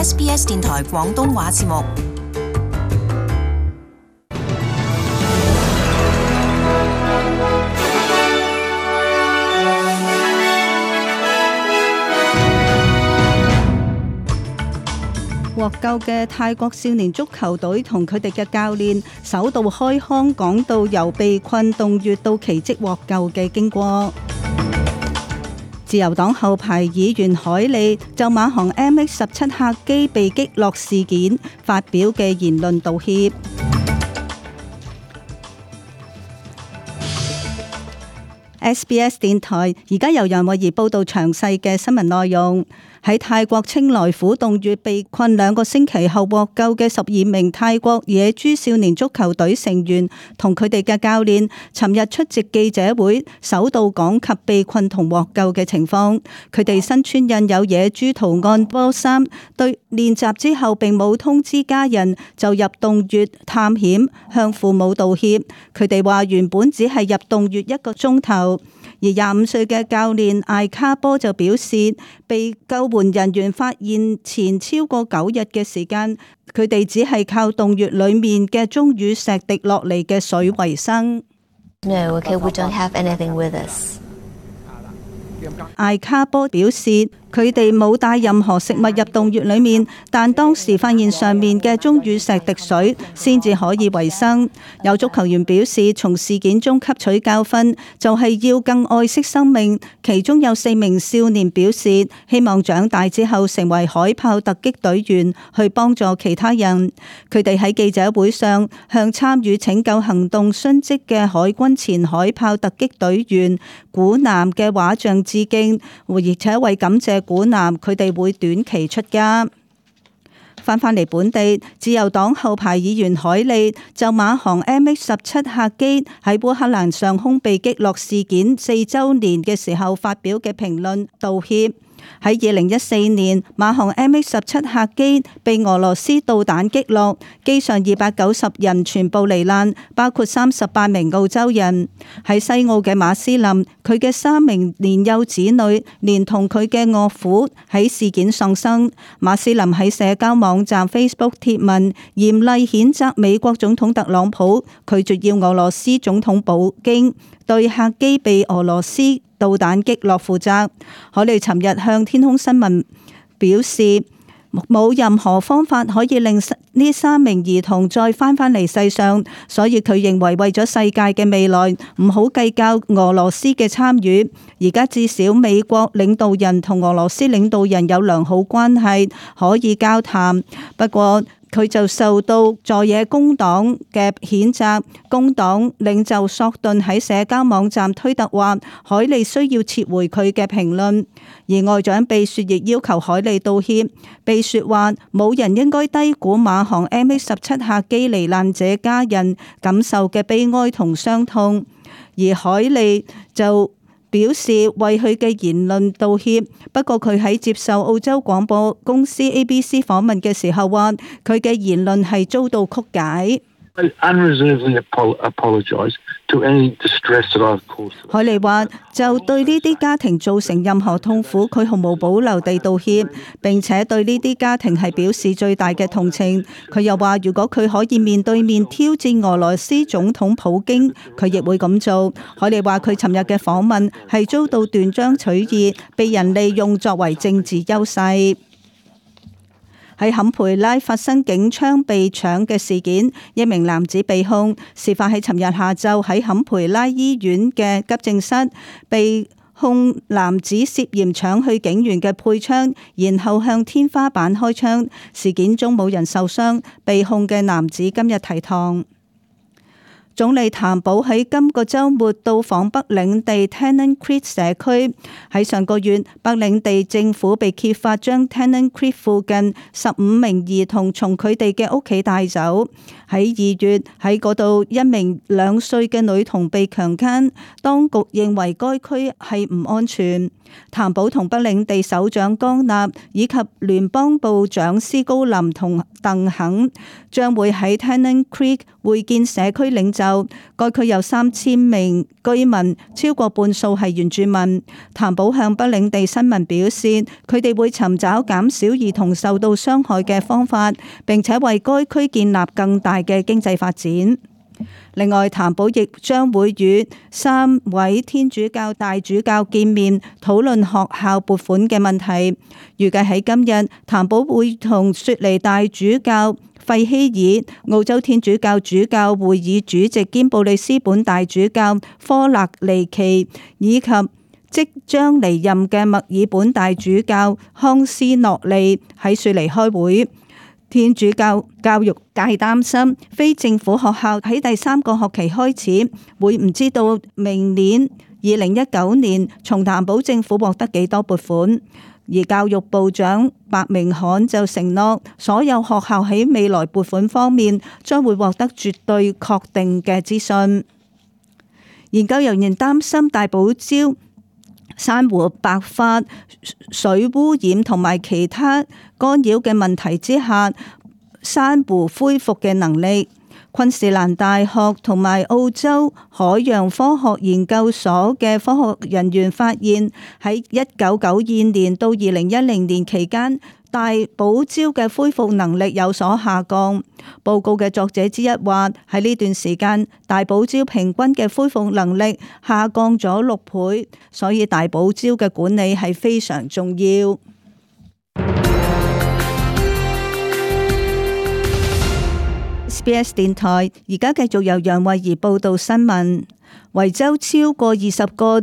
SBS 電台廣東話節目。獲救嘅泰國少年足球隊同佢哋嘅教練首度開腔講到由被困洞穴到奇蹟獲救嘅經過。自由黨後排議員海利就馬航 MH17 客機被擊落事件發表嘅言論道歉。SBS 電台而家由楊慧儀報道詳細嘅新聞內容。喺泰國清萊府洞穴被困2個星期後獲救嘅12名泰國野豬少年足球隊成員同佢哋嘅教練，尋日出席記者會，首度講及被困同獲救嘅情況。佢哋身穿印有野豬圖案波衫，對練習之後並冇通知家人就入洞穴探險，向父母道歉。佢哋話原本只係入洞穴1個鐘頭。而25歲嘅教練艾卡波就表示，被救援人員發現前超過9日嘅時間，佢哋只係靠洞穴裡面嘅鐘乳石滴落嚟嘅水為生。No, okay, we don't have anything with us. 艾卡波表示，佢哋冇帶任何食物入洞穴裏面，但當時發現上面嘅鐘乳石滴水，先至可以維生。有足球員表示，從事件中吸取教訓，就係要更愛惜生命。其中有4名少年表示，希望長大之後成為海豹突擊隊員，去幫助其他人。佢哋喺記者會上向參與拯救行動殉職嘅海軍前海豹突擊隊員古南嘅畫像致敬，而且為感謝古南，佢哋會短期出家。返嚟本地，自由黨後排議員海利就馬航 MH17 客機喺烏克蘭上空被擊落事件4週年嘅時候發表嘅評論道歉。喺2014年，馬航 MH17 客機被俄羅斯導彈擊落，機上290人全部罹難，包括38名澳洲人。喺西澳嘅馬斯林，佢嘅3名年幼子女連同佢嘅岳父喺事件喪生。馬斯林喺社交網站 Facebook 貼文，嚴厲譴責美國總統特朗普拒絕要俄羅斯總統普京對客機被俄羅斯導彈擊落負責。海利尋日向天空新聞表示，冇任何方法可以令呢3名兒童再返嚟世上，所以佢認為為咗世界嘅未來，唔好計較俄羅斯嘅參與。而家至少美國領導人同俄羅斯領導人有良好關係，可以交談。不過佢就受到在野工黨嘅譴責。工黨領袖索頓喺社交網站推特話，海利需要撤回佢嘅評論。而外長貝雪亦要求海利道歉。貝雪話，冇人應該低估馬航 MH17 客機罹難者家人感受嘅悲哀同傷痛。而海利就表示為佢嘅言論道歉，不過佢喺接受澳洲廣播公司 ABC 訪問嘅時候話，佢嘅言論係遭到曲解。海利話就對呢啲家庭造成任何痛苦，佢毫無保留地道歉，並且對呢啲家庭係表示最大嘅同情。佢又話，如果佢可以面對面挑戰俄羅斯總統普京，佢亦會咁做。海利話佢尋日嘅訪問係遭到斷章取義，被人利用作為政治優勢。喺坎培拉發生警槍被搶嘅事件，一名男子被控，事發喺尋日下晝喺坎培拉醫院嘅急症室，被控男子涉嫌搶去警員嘅配槍，然後向天花板開槍。事件中冇人受傷，被控嘅男子今日提堂。總理譚寶喺今個週末到訪北領地 Tennant Creek 社區。喺上個月，北領地政府被揭發將 Tennant Creek 附近15名兒童從佢哋嘅屋企帶走。喺2月，喺嗰度1名2歲嘅女童被強姦，當局認為該區係唔安全。譚寶同北領地首長江納以及聯邦部長斯高林同鄧肯將會喺 Tennant Creek 會見社區領袖。該區有3000名居民，超過半數係原住民。譚寶向北領地新聞表示，佢哋會尋找減少兒童受到傷害嘅方法，並且為該區建立更大嘅經濟發展。另外，譚寶亦將會與3位天主教大主教見面，討論學校撥款嘅問題。預計喺今日，譚寶會同雪梨大主教費希爾、澳洲天主教主教會議主席兼布里斯本大主教科勒尼奇，以及即將離任嘅墨爾本大主教康斯諾利喺雪梨開會。天主教教育界擔心非政府學校喺第3個學期開始會唔知道明年2019年從譚寶政府獲得幾多撥款，而教育部長白明翰就承諾所有學校喺未來撥款方面將會獲得絕對確定嘅資訊。研究人員擔心大堡礁珊瑚白化、水污染同埋其他干擾嘅問題之下，珊瑚恢復嘅能力。昆士蘭大學同埋澳洲海洋科學研究所嘅科學人員發現，喺1992年到2010年期間，大堡礁嘅恢復能力有所下降。報告嘅作者之一話，喺呢段時間，大堡礁平均嘅恢復能力下降咗6倍，所以大堡礁嘅管理係非常重要。SBS 電台而家繼續由楊慧儀報道新聞。維州超過20個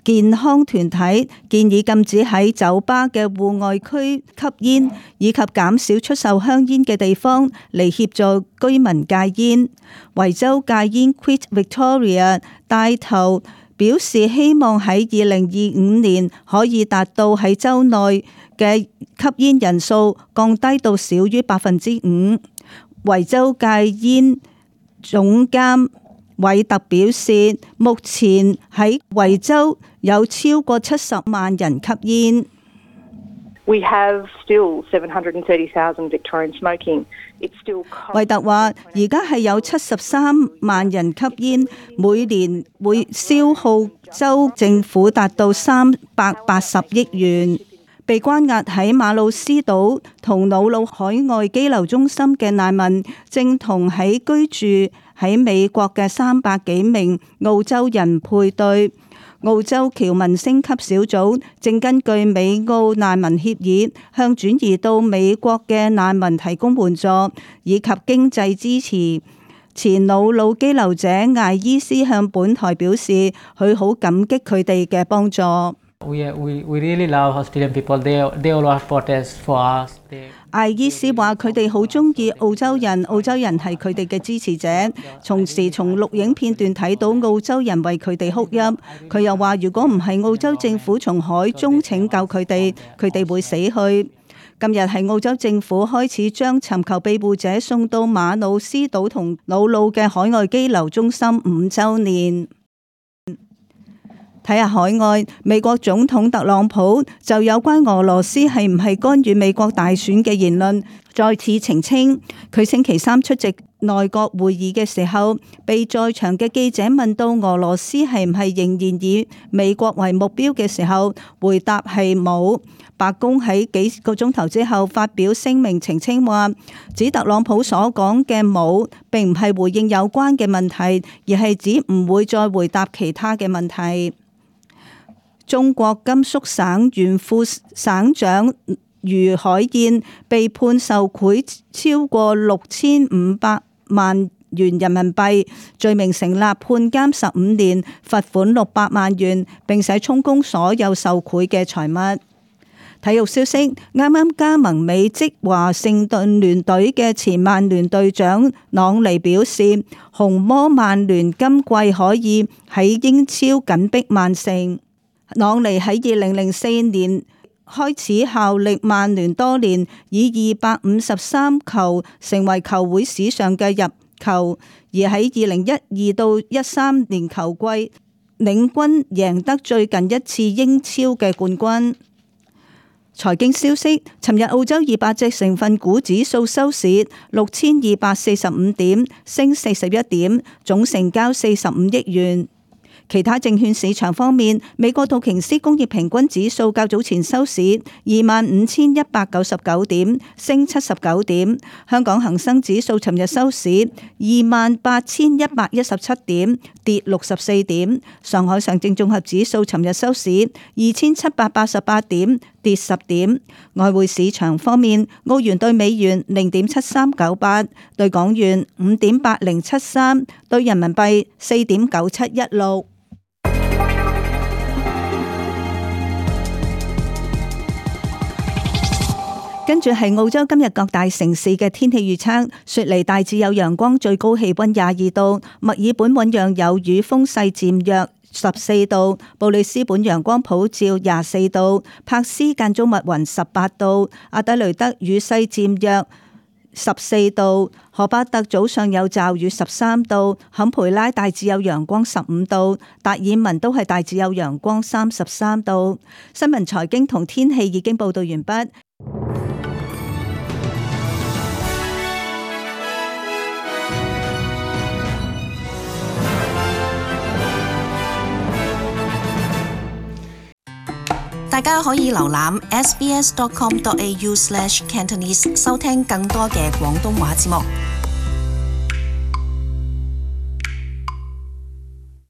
健康團體建議禁止喺酒吧嘅戶外區吸煙，以及減少出售香煙嘅地方嚟協助居民戒煙。維州戒煙 Quit Victoria 帶頭表示，希望喺2025年可以達到喺州內嘅吸煙人數降低到少於5%。維州戒煙總監韋特表示，目前喺維州有超過70萬人吸煙。We have still 730,000 Victorians smoking. It's still. 韋特話：而家係有73萬人吸煙，每年會消耗州政府達到380億元。被關押喺馬魯斯島同瑙魯海外羈留中心嘅難民，正同喺居住喺美國嘅300幾名澳洲人配對。澳洲僑民升級小組正根據美澳難民協議，向轉移到美國嘅難民提供援助以及經濟支持。前瑙魯羈留者艾伊斯向本台表示，佢好感激佢哋嘅幫助。We really love Australian people. They all are protest for us. 艾伊斯話：佢哋好中意澳洲人，澳洲人係佢哋嘅支持者。從錄影片段睇到澳洲人為佢哋哭泣。佢又話：如果唔係澳洲政府從海中拯救佢哋，佢哋會死去。今日係澳洲政府開始將尋求庇護者送到馬魯斯島同瑙魯嘅海外羈留中心5週年。睇下海外，美國總統特朗普就有關俄羅斯係唔係干預美國大選嘅言論再次澄清。佢星期三出席內閣會議嘅時候，被在場嘅記者問到俄羅斯係唔係仍然以美國為目標嘅時候，回答係冇。白宮喺幾個鐘頭之後發表聲明澄清話，指特朗普所講嘅冇並唔係回應有關嘅問題，而係指唔會再回答其他嘅問題。中國甘肅省原副省長余海燕被判受賄超過6500萬元人民幣，罪名成立，判監15年，罰款600萬元，並且充公所有受賄嘅財物。體育消息，啱啱加盟美職華盛頓聯隊嘅前曼聯隊長朗尼表示，紅魔曼聯今季可以喺英超緊逼曼城。朗尼喺2004年開始效力曼聯多年，以253球成為球會史上嘅入球，而喺2012到13年球季，領軍贏得最近一次英超嘅冠軍。財經消息，尋日澳洲200隻成分股指數收市6245點，升41點，總成交45億元。其他證券市場方面，美國道瓊斯工業平均指數較早前收市25,199點，升79點。香港恒生指數尋日收市28,117點，跌64點。上海上證綜合指數尋日收市2,788點，跌10點。外匯市場方面，澳元對美元0.7398，對港元5.8073，對人民幣4.9716。跟住係澳洲今日各大城市嘅天氣預測：雪梨大致有陽光，最高氣溫22度；墨爾本醞釀有雨，風勢漸弱，14度；布里斯本陽光普照24度；柏斯間中密雲18度；阿德雷德雨勢漸弱14度；荷巴特早上有驟雨13度；坎培拉大致有陽光15度；達爾文都係大致有陽光33度。新聞財經同天氣已經報道完畢。大家可以瀏覽 sbs.com.au/cantonese 收聽更多嘅廣東話節目。